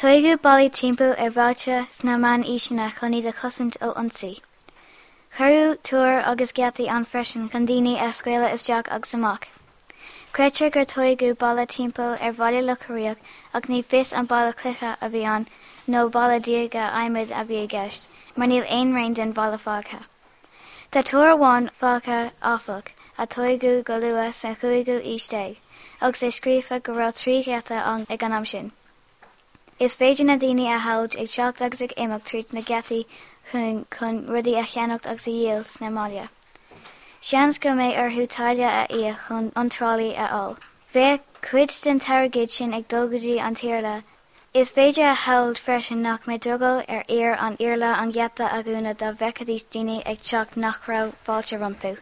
Tóigeadh ballaí timpeall ar bhailte sna meánaoiseanna chun iad a chosaint ó ionsaí. Cuireadh túir agus geataí ann freisin chun daoine a scaoileadh isteach agus amach. Creidtear gur tóigeadh balla timpeall ar Bhaile Locha Riach ach ní fios an balla cloiche a bhí ann nó balla diaga adhmaid a bhí i gceist, mar níl aon rian den bhalla fágtha. Tá túr amháin fágtha áfach, a tóigeadh go luath sa chúigiú aois déag, agus é scríofa go raibh 3 gheata ann ag an am sin. Is féidir na daoine a shamhailt ag teacht agus ag imeacht tríd na geataí chugainn chun rudaí a cheannacht agus a dhíol sna mbaile. Seans go mbeidh orthu táille a íoc chun iontrálaí a fháil. Bheadh cuid den t-airgead sin ag dul go dtí an tIarla Is féidir a shamhailt freisin nach mbeadh drogall ar fhir an Iarla an geata a dhúnadh dá bhfeicfidís daoine ag teacht nach raibh fáilte rompu.